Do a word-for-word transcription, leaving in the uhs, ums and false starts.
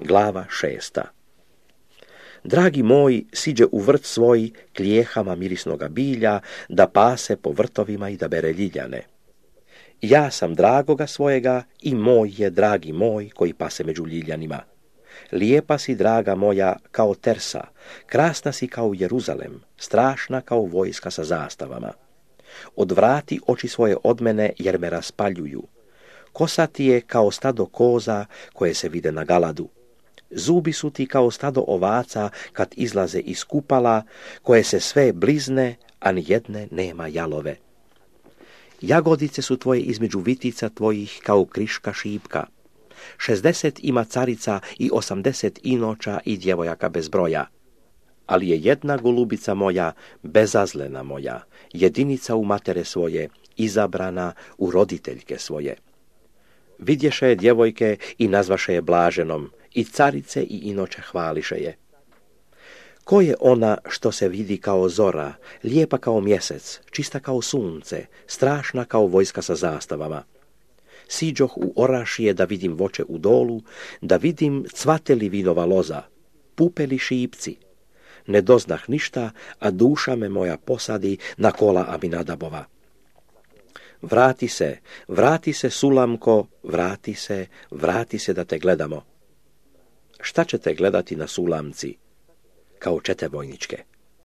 Glava šesta. Dragi moj siđe u vrt svoj klijehama mirisnoga bilja, da pase po vrtovima i da bere ljiljane. Ja sam dragoga svojega i moj je dragi moj koji pase među ljiljanima. Lijepa si, draga moja, kao Tersa, krasna si kao Jeruzalem, strašna kao vojska sa zastavama. Odvrati oči svoje od mene jer me raspaljuju. Kosa ti je kao stado koza koje se vide na Galadu. Zubi su ti kao stado ovaca kad izlaze iz kupala, koje se sve blizne, a ni jedne nema jalove. Jagodice su tvoje između vitica tvojih kao kriška šipka. Šezdeset ima carica i osamdeset inoča i djevojaka bez broja. Ali je jedna golubica moja, bezazlena moja, jedinica u matere svoje, izabrana u roditeljke svoje. Vidješe je djevojke i nazvaše je blaženom, i carice i inoče hvališe je. Ko je ona što se vidi kao zora, lijepa kao mjesec, čista kao sunce, strašna kao vojska sa zastavama? Siđoh u orašije da vidim voće u dolu, da vidim cvateli vinova loza, pupeli šipci. Ne doznah ništa, a duša me moja posadi na kola Aminadabova. Vrati se, vrati se, Sulamko, vrati se, vrati se da te gledamo. Šta ćete gledati na Sulamci? Kao čete vojničke.